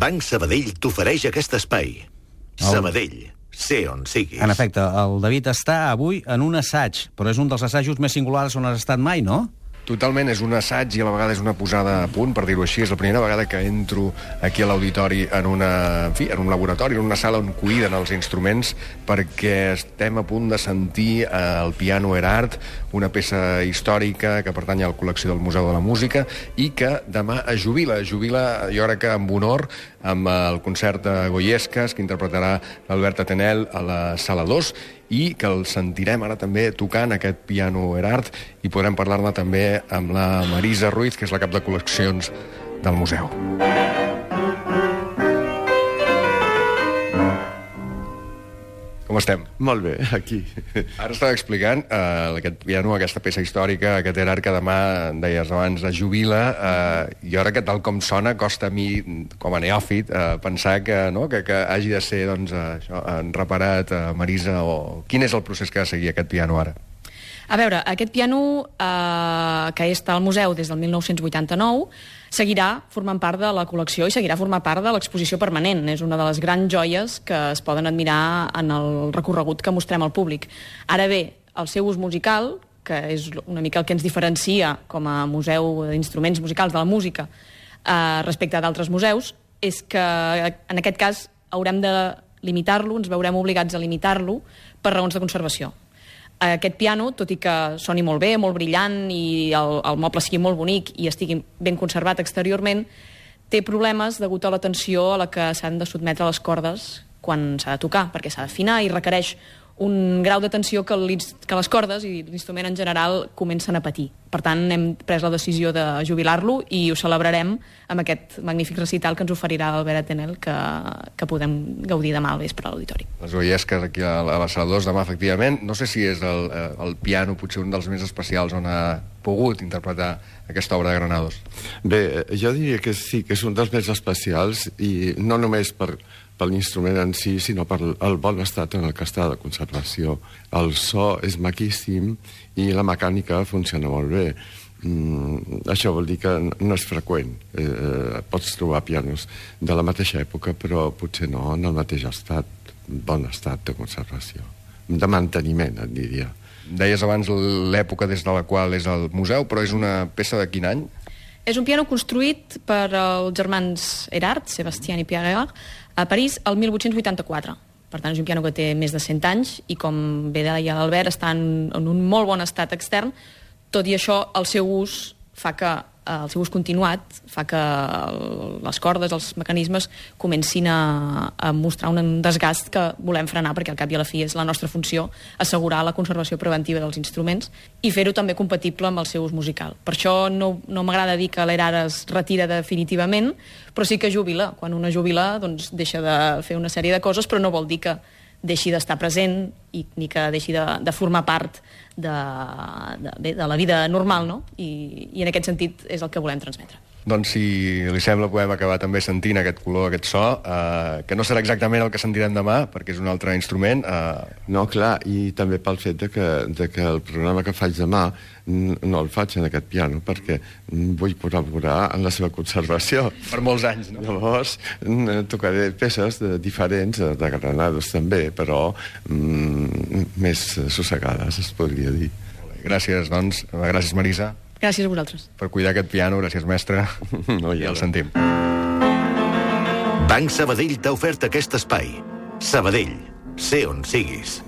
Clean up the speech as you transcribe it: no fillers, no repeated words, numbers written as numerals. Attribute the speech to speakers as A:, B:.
A: Banc Sabadell t'ofereix aquest espai. Sabadell, sé on siguis.
B: En efecte, el David està avui en un assaig, però és un dels assajos més singulars on has estat mai, no?
C: Totalment, és un assaig i a la vegada és una posada a punt, per dir-ho així. És la primera vegada que entro aquí a l'auditori en un laboratori, en una sala on cuiden els instruments, perquè estem a punt de sentir el piano Erhardt, una peça històrica que pertany a la col·lecció del Museu de la Música i que demà es jubila. Jo crec que amb honor, amb el concert de Goiescas, que interpretarà l'Albert Atenel a la Sala 2, i que el sentirem ara també tocant aquest piano Erhardt, i podrem parlar-ne també amb la Marisa Ruiz, que és la cap de col·leccions del museu. Com estem?
D: Molt bé, aquí.
C: Ara estava explicant aquest piano, aquesta peça històrica, aquest Erhardt que demà, deies abans, es jubila. Jo crec que tal com sona, costa a mi, com a neòfit, pensar que hagi de ser reparat, Marisa, o quin és el procés que ha de seguir aquest piano ara?
E: A veure, aquest piano, que està al museu des del 1989, seguirà formant part de la col·lecció i seguirà formant part de l'exposició permanent. És una de les grans joies que es poden admirar en el recorregut que mostrem al públic. Ara bé, el seu ús musical, que és una mica el que ens diferencia com a museu d'instruments musicals de la música respecte d'altres museus, és que en aquest cas haurem de limitar-lo, ens veurem obligats a limitar-lo per raons de conservació. Aquest piano, tot i que soni molt bé, molt brillant, i el moble sigui molt bonic i estigui ben conservat exteriorment, té problemes degut a la tensió a la que s'han de sotmetre les cordes quan s'ha de tocar, perquè s'ha d'afinar i requereix un grau de tensió que les cordes i l'instrument en general comencen a patir. Per tant, hem pres la decisió de jubilar-lo i ho celebrarem amb aquest magnífic recital que ens oferirà l'Albert Atenel, que podem gaudir demà al vespre a l'auditori.
C: Les Goiescas aquí a la Sala 2 demà, efectivament. No sé si és el piano potser un dels més especials on ha pogut interpretar aquesta obra de Granados.
D: Bé, jo diria que sí, que és un dels més especials, i no només per l'instrument en si, sinó per el bon estat en el que està de conservació. El so és maquíssim i la mecànica funciona molt bé. Això vol dir que no és freqüent. Pots trobar pianos de la mateixa època, però potser no en el mateix estat, bon estat de conservació. De manteniment, et diria.
C: Deies abans l'època des de la qual és el museu, però és una peça de quin any?
E: És un piano construït per els germans Erhardt, Sebastian i Pierre Erhardt, a París el 1884. Per tant, és un piano que té més de 100 anys i, com bé deia l'Albert, està en un molt bon estat extern. Tot i això, el seu ús continuat fa que les cordes, els mecanismes, comencin a mostrar un desgast que volem frenar, perquè al cap i a la fi és la nostra funció assegurar la conservació preventiva dels instruments i fer-ho també compatible amb el seu ús musical. Per això no m'agrada dir que l'Erhardt es retira definitivament, però sí que jubila. Quan una jubila, doncs deixa de fer una sèrie de coses, però no vol dir que deixi d'estar present ni que deixi de formar part de la vida normal, no? I en aquest sentit és el que volem transmetre.
C: Doncs, si li sembla, podem acabar també sentint aquest color, aquest so, que no serà exactament el que sentirem demà, perquè és un altre instrument.
D: No, clar, i també pel fet de que el programa que faig demà no el faig en aquest piano, perquè vull col·laborar en la seva conservació.
C: Per molts anys, no?
D: Llavors, tocaré peces diferents, de Granados també, però més sossegades, es podria dir.
C: Gràcies, doncs. Gràcies, Marisa.
E: Gràcies a vosaltres.
C: Per cuidar aquest piano, gràcies, mestre. I el sentim.
A: Banc Sabadell t'ha ofert aquest espai. Sabadell, sé on siguis.